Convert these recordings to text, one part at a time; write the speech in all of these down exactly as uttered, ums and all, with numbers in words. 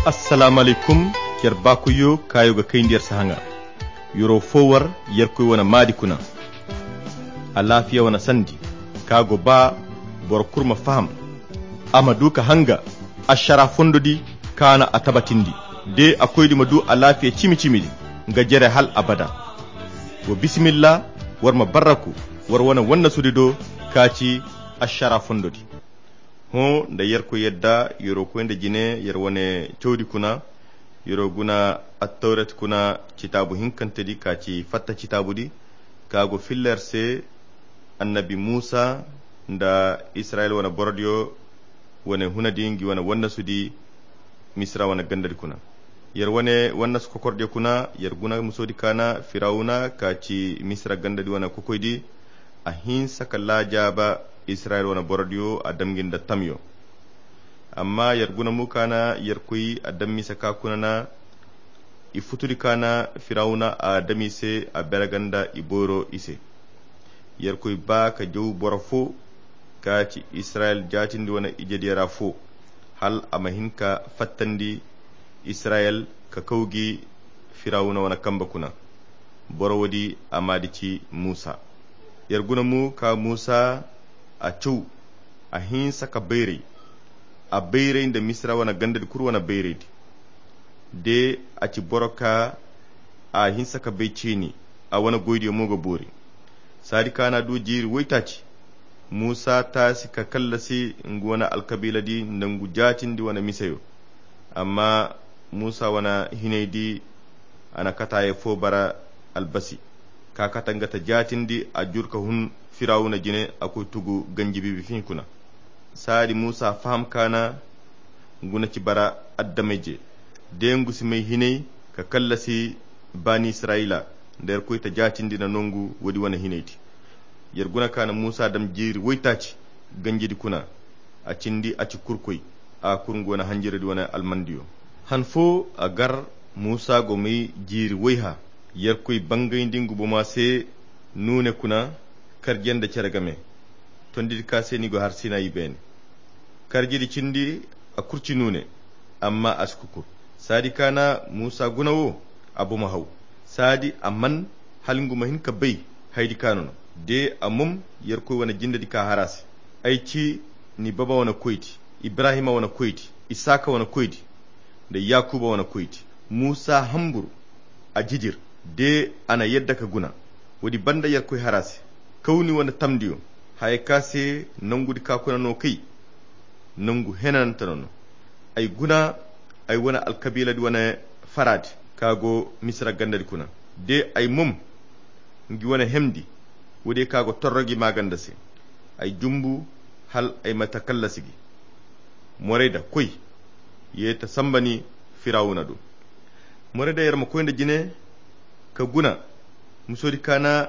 Assalamu alaykum. Yer baakoyyo kaayo ga kayndi yer si haŋa. Yero fo war yerkoy wane maadi kuna. Alaafiya wane sandi ka go ba boro kulu ma faham, a ma du ka hanga ašara fondo di kaana a tabatindi de a koydi ma du alaafiya cimi-cimi di nga jere hal abada. Wa bisimilla, war ma barraku war wane wannasudi do ka ci ašara fondo di. Hõ nda yerkoy yadda yero koy nda jine yer wane cawdi kuna. Yero guna attawrat kuna citaabu hinkante di ka ci fatta citaabu di ka go filla yer se. Annabi muusa nda israyil wane borodiyo wane huna di ngi wane wannasudi misira wane ganda di kuna. Yer wane wannasu kokordiyo kuna yer guna musoodi kaana firawuna ka ci misira ganda di wane kokoydi. A hinsa ka laajaaba israyil wane borodiyo a dam ngi nda tamyo. Amma yer guna mo kaana yerkoy a dam mise ka kuna na i futudi kaana firawuna a dam i se a bere ganda i boyro i se. Yerkoy ba ka jaw boro fo ka ci israyil jaatindi wane ijediyo ra fo hal a ma hin ka fattandi israyil ka kaw gi firawuna wane kambe kuna. Boro woodi a maadi ci muusa. Yer guna mo ka muusa a caw a hinsa ka bayray a bayray nda misira wane gandadi kulu wane bayraydi. De a ci boro ka a hinsa ka bay ciini a wane goydiyo mo ga boori. Saadi kaana du jiiri woytaaci muusa taasi ka kallasi ngu wane alkabiiladi nda ngu jaatindi wane miseyo. Amma muusa wane hinaydi a na kataayey fo bara albasi ka kate nga ta jaatindi a jur ka hun firawuna jine a koy tugu ganji biibi fihi kuna. Saadi muusa faham kaana ngu na ci bara addamayje de ngu si may hinay ka kallasi baani israyila nda yerkoy ta jaatindi na nongu woodi wane hinaydi. Yer guna kaana muusa dam jiiri woytaaci ganjidi kuna a cindi a ci kurkoy a kur ngu wane hanjiradi wane almandiyo. Han fo a gar muusa go may jiiri woyha yerkoy bangayndi ngu bomo a se nuune kuna karje nda cere game. Tondidi ka se ni go har sinayi beene karjidi cindi a kurci nuune amma a si kukur. Saadi kaana muusa guna wo a bomo haw saadi a man hala ngu ma hin ka bay hayadi kaana no. De a mom yerkoy wane jindedi ka har a se. Ay ci ni baba wane koydi, ibrahima wane koydi, isaaka wane koydi nda yaakuba wane koydi. Muusa hambur a jijir de a na yadda ka guna. Woodi banda yerkoy har a se kaw ni wane tamdiyo haya ka se nongudi ka kuna no kay nongu henanante no no. Ay guna ay wane alkabiiladi wane faraadi ka go misira gandadi kuna de ay mom ngi wane hemndi woodiyo ka go torro gi maaganda se. Ay jumbu hal ay ma ta kallasi gi. Morayda koy ye ta samba ni firawuna do. Morayda yer ma koy nda jine ka guna musoodi kaana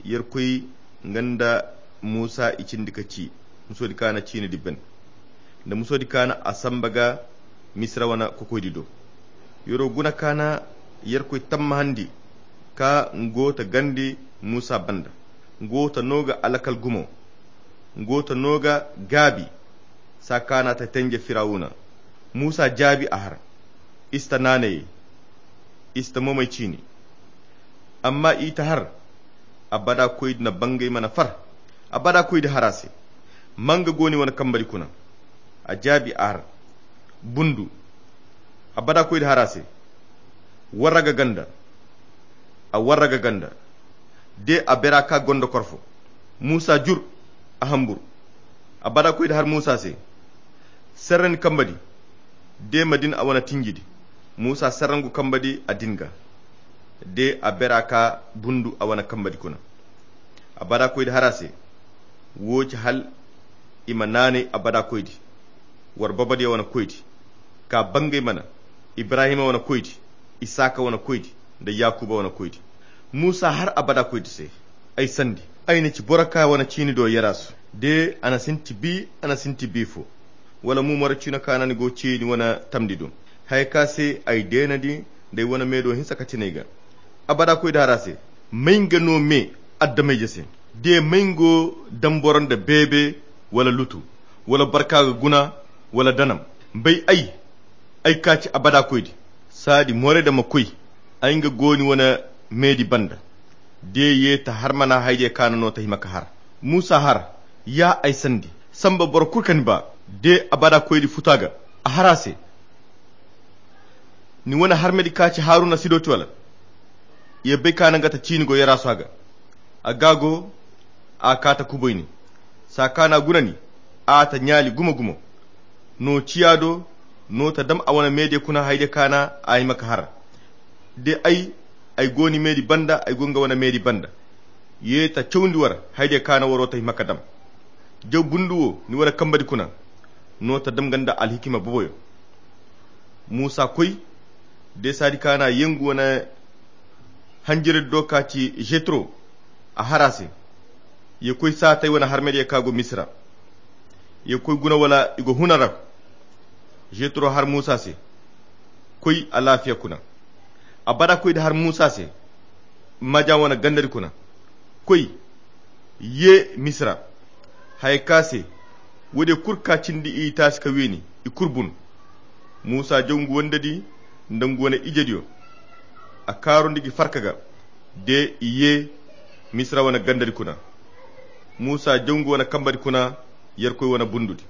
yerkoy nga nda muusa i cindi ka ci musoodi kaana ciinidi ben nda musoodi kaana a samba ga misira wane kokoydi do. Yero guna kaana yerkoy tammahandi ka ngu go ta gandi muusa banda. Ngu go ta no ga alakal gumo. Ngu go ta no ga gaabi saa kaana ta tenje firawuna. Muusa jaabi a har i si ta naanayey i si ta momey ciini. Amma i ta har abada koydi na bangay mana far. Abada koydi har a se man ga go ni wane kambadi kuna? A jaabi a har bundu. Abada koydi har a se warraga ganda. A warraga ganda de a bera ka gondo korfo. Muusa jur a hambur. Abada koydi har muusa se serre ni kambadi. De ma din a wane tinjidi muusa serre ngu kambadi a din ga. De a bera ka bundu a wane kambadi kuna. Abada koydi har a se woo ci hal i ma naanay abada koydi. War babadiyo wane koydi ka bangay mana ibrahima wane koydi, isaaka wane koydi nda yaakuba wane koydi. Muusa har abada koydi se ay sandi ay na ci boro ka wane ciini do yerasu de a na sinti bi a na sinti bi fo. Wala mo moro ciino kaana ni go ciini wane tamndi do haya ka se ay deenandi nda ay wane meedo hinsa ka tinay ga. Abada koydi har a se may nga no me addamayje se de may nga go damboro nda beebe wala lutu wala barka ga guna wala danam. Bay ay Ay ka ci abada koydi. Saadi morey da ma koy. Ay nga gooni wane meedi banda. De ye ta har mana haydiya kaana no ta hima ka har. Muusa har. Ya ay sandi samba boro kulu ka ni ba. De abada koydi futa ga. A har a se. Ni wane harmedi ka ci haruna si dooti wala? Ye bay kaana nga ta ciini go yarasu a ga. A ga go. A ka ta kuboy ni. Saa kaana guna ni. A ta ɲaali gumo-gumo. No ciya do. No ta dam a wane meediya kuna haydiya kaana a hima ka har. De ay. Ay go ni meedi banda ay go nga wane meedi banda. Ye ta cawndi war haydiya kaana waro ta hima ka dam. Jaw bundu wo ni wane kambadi kuna. No ta dam nga nda alhikima boboyo. Muusa koy. De saadi kaana yengu wane hanjiradi do ka ci jetro. A har a se. Ye koy saatey wane harmediya ka go misira. Ye koy guna wala i go huna ra. Jetro har muusa se. Koy alaafiya kuna. Abada koydi har muusa se. Maja wane gandadi kuna. Koy. Ye misira. Haya ka se. Woodiyo kulu ka cindi i taasi ka weeni. I kulu bun. Muusa jaw ngu wandadi nda ngu wane ijediyo. A kaarundi gi farka ga. De i ye. Misira wane gandadi kuna. Muusa jaw ngu wane kambadi kuna. Yerkoy wane bundudi.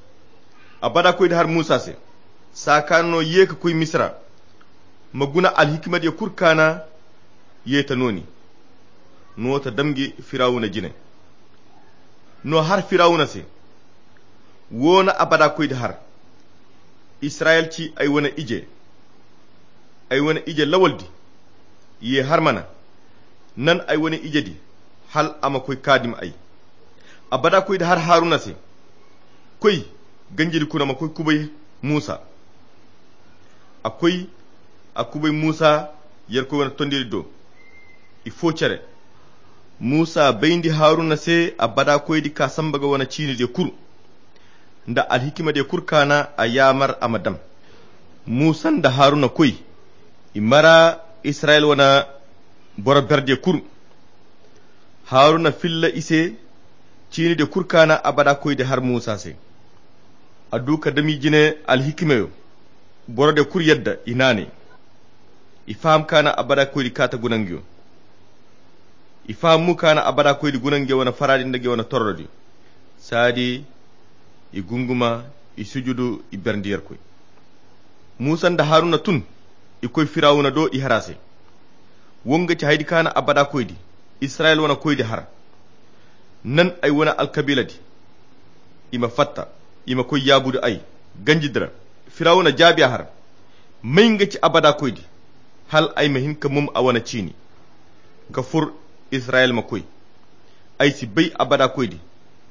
Abada koydi har muusa se. Saa kaana no ye ka koy misira. Ma guna alhikimadiyo kulu kaana. Ye ta no ni. No ta dam gi firawuna jine. No har firawuna se. Wo na abada koydi har. Israyel ci ay wane ije. Ay wane ije lawaldi. Ye har mana. Nan ay wane ijedi. Hal a ma koy kaadim ay. Abada koydi har haruna se. Koy. Ganjidi kuna ma koy kubay muusa. A koy. A kubay muusa. Yerkoy wane tondiri do. I foo cere. Muusa bayndi haruna se abada koydi ka samba ga wane ciinidiyo kulu. Nda alhikimadiyo kulu kaana a yaamar a ma dam. Muusa nda haruna koy. I mara israyel wane boro berdiyo kulu. Haruna filla i se. Ciinidiyo kulu kaana abada koydi har muusa se. A du ka dam i jine alhikimayo. Borodiyo kulu yadda i naanay. I faham kaana abada koydi kaata guna nguyo. I faham mu kaana abada koydi guna nguyo wane faraadi nda nguyo wane torrodi. Saadi. I gunguma. I sujudu. I berndi yerkoy. Muusa nda haruna tun. I koy firawuna do i har a se. Wo nga ci haydi kaana abada koydi. Israyel wane koydi har. Nan ay wane alkabiiladi. I ma fatta. I ma koy yaabudu ay. Ganjidi ra. Firawuna jaabi a har. May nga ci abada koydi. Hal ay ma hin ka mum a wane ciini. Ka fur. Israyel ma koy. Ay si bay abada koydi.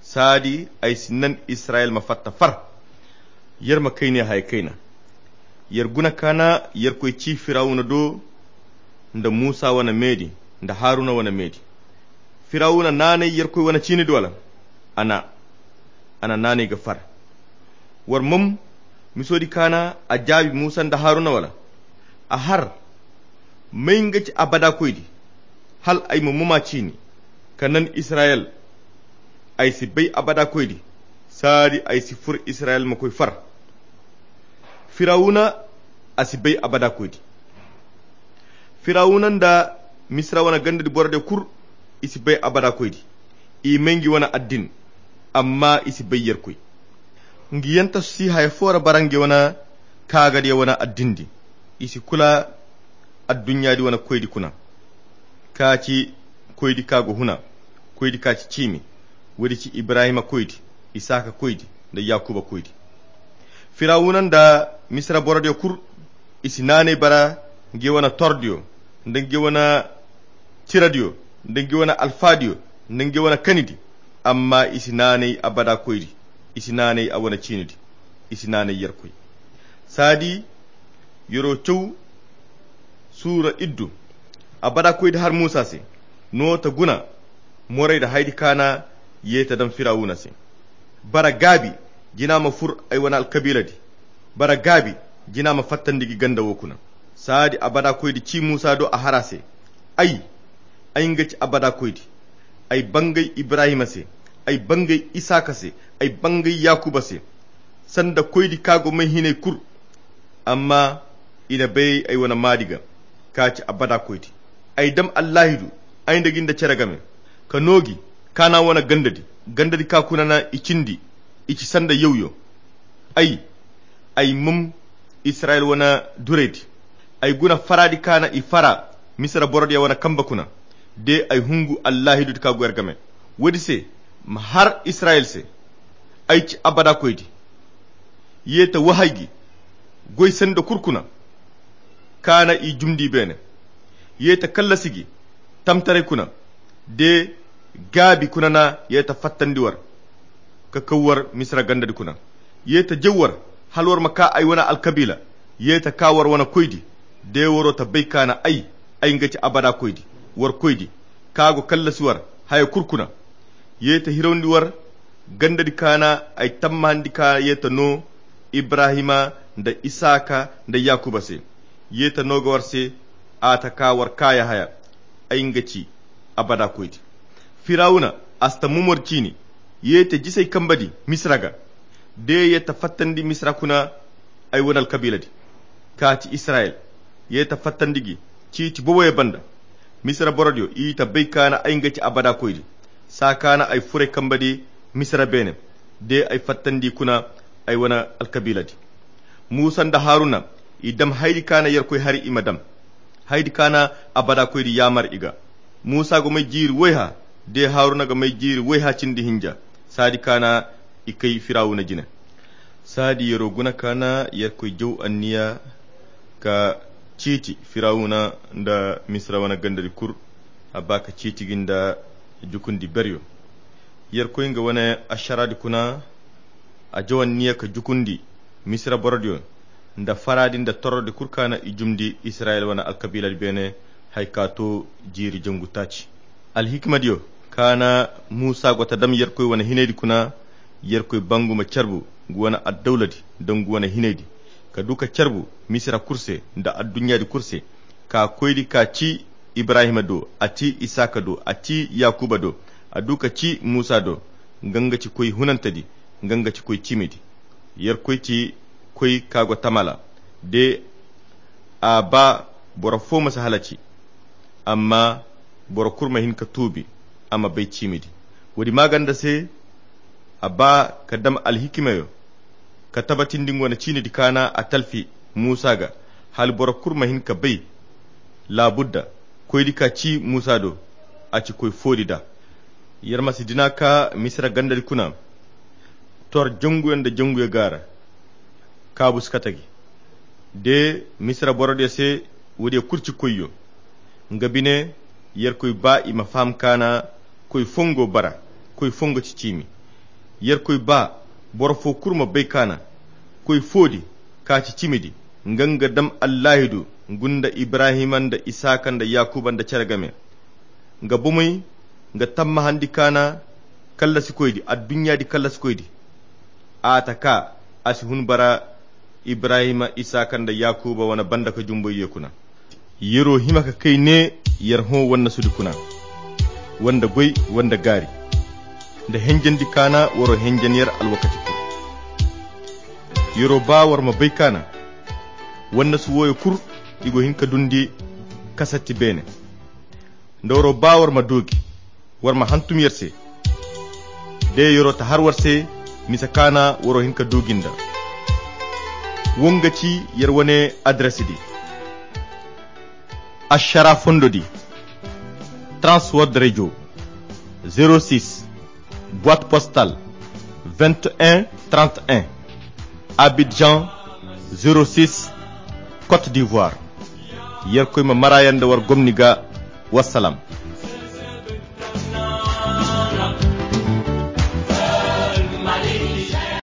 Saadi ay si nan israyel ma fatta far. Yer ma kayne haya kayna. Yer guna kaana yerkoy ci firawuna do. Nda muusa wane meedi. Nda haruna wane meedi. Firawuna naanay yerkoy wane ciinidi wala? A na. A na naanay ga far. War mom. Misoodi kaana a jaabi muusa nda haruna wala? A har. May nga ci abada koydi. Hal ay ma moma ciini. Ka nan israyel. Ay si bay abada koydi. Saadi ay si fur israyel ma koy far. Firawuna. A si bay abada koydi. Firawuna nda misira wane gandadi borodiyo kul. I si bay abada koydi. I may ngi wane addin. Amma i si bay yerkoy. Ngi yanta si haya fo ra bara ngi wane kaagadiyo wane addindi. I si kula adduɲɲaadi wane koydi kuna. Ka ci koydi ka go huna. Koydi ka ci ciimi. Woodi ci ibrahima koydi, isaaka koydi, nda yakuba koydi. Firawuna nda misira borodiyo kul. I si naanay bara ngi wane tordiyo, nda ngi wane tiradiyo, nda ngi wane alfaadiyo, nda ngi wane kanidi. Amma i si naanay abada koydi. I si naanay a wane ciinidi. I si naanay yerkoy. Saadi. Yero caw. Suura iddu. Abada koydi har muusa se. No ta guna. Morey da haydi kaana. Ye ta daŋ firawuna se. Bara gaabi. Jina ma fur ay wane alkabiiladi. Bara gaabi. Jina ma fattandi gi ganda wo kuna. Saadi abada koydi ci muusa do a har a se. Ay. Ay nga ci abada koydi. Ay bangay ibrahima se. Ay bangay isaaka se. Ay bangay yakuba se. Sanda koydi ka go may hinay kul. Amma i na bay ay wane maadi ga, ka ci abada koydi. Ay dam allaahidu, ay nda gi nda cere game, ka noogi, ka na wane gandadi, gandadi ka kuna na i cindi, i ci sanda yawyo. Ay, ay mum israyil wane duraydi. Ay guna faraadi ka na i fara misira borodiya wane kamba kuna. De ay hungu allaahidudi ka goy yer game. Woodi se, ma har israyil se, ay ci abada koydi. Ye ta wahay gi goy sanda kul kuna, ka na i jumndi beene. Ye ta kallasi gi tamtaray kuna, de gaabi kuna na ye ta fattandi war, ka kaw war misira gandadi kuna. Ye ta jaw war, hala war ma ka ay wane alkabiila. Ye ta ka war wane koydi, de waro ta bay ka na ay, ay nga ci abada koydi, war koydi, ka go kallasi war haya kul kuna. Ye ta hirawndi war gandadi ka na ay tammahandi ka ye ta noo ibrahima nda isaaka nda yaakuba se. Ye ta noo ga war se, a ta ka war kaaya haya, ay nga ci abada koydi. Firawuna, a si ta mumor ciini. Ye ta jisay kambadi misira ga, de ye ta fattandi misira kuna ay wane alkabiiladi, ka ci israyil. Ye ta fattandi gi ciiti boboyo banda. Misira borodiyo i ta bay ka na ay nga ci abada koydi, saa ka na ay furay kambadi misira beene, de ay fattandi kuna ay wane alkabiiladi. Muusa nda haruna, i dam haydi ka na yerkoy hari i ma dam, haydi ka na abada koydi yaamar i ga. Muusa ga may jiiri wayha, de haruna ga may jiiri wayha cindi hinja, saadi ka na i kay firawuna jine. Saadi yero guna ka na yerkoy jaw anniya ka ciiti firawuna nda misira wane gandadi kul. A ba ka ciiti gi nda jukundi beryo. Yerkoy nga wane ašaraadi kuna, a jaw anniya ka jukundi misira borodiyo nda faraadi nda torrodi kul ka na i jumndi israyil wane alkabiiladi beene, haya ka to jiiri jangu taaci. Alhikimadiyo ka na muusa go ta dam yerkoy wane hinaydi kuna. Yerkoy bangu ma carbu ngu wane addawladi nda ngu wane hinaydi, ka du ka carbu misira kul se nda adduɲɲaadi kul se. Ka koydi ka ci ibrahima do, a ci isaaka do, a ci yaakuba do, a du ka ci muusa do. Nga nga ci koy hunantedi, nga nga ci koy ciimidi. Yerkoy ci koy ka go tamala, de a ba boro fo ma si halaci, amma boro kul ma hin ka tuubi, a ma bay ciimidi. Woodi maaganda se, a ba ka dam alhikimayo ka tabatindi nga wane ciinidi ka na a talfi muusa ga, hala boro kul ma hin ka bay. Laabudda koydi ka ci muusa do, a ci koy foodi da. Yer ma si dina ka misira gandadi kuna, tor janguyo nda janguyo gaara. Kaabu si kate gi, de misira borodiyo se. Woodiyo kul ci koyyo. Nga bine, yerkoy ba i ma faham ka na koy fongo bara, koy fongo ci ciimi. Yerkoy ba boro fo kul ma bay ka na koy foodi ka ci ciimidi, nga nga dam allaahidu ngu nda ibrahima nda isaaka nda yaakuba nda cere game. Nga bomey, nga tammahandi ka na kallasikoydi, adduɲɲaadi kallasikoydi. A ta ka, a si hun bara ibrahima, isaaka nda yaakuba wane banda ka jumboy ye kuna. Yero hima ka kay ne, yer hõ wannasudi kuna, wanda goy, wanda gaari, nda henjandi ka na waro henjan yer alwakati kul. Yero ba war ma bay ka na wannasu wooyo kul, i go hin ka dundi kasatti beene. Nda waro ba war ma doogi, war ma hantum yer se. De yero ta har war se, misa ka na waro hin ka doogi nda. Wo nga ci yer wane adres di. Ašara fondo di, Trans World Radio, zero six, boîte postale vingt et un trente et un, Abidjan, zero six, Côte d'Ivoire. Yerkoy ma mara yer nda war gomni ga. Wassalam.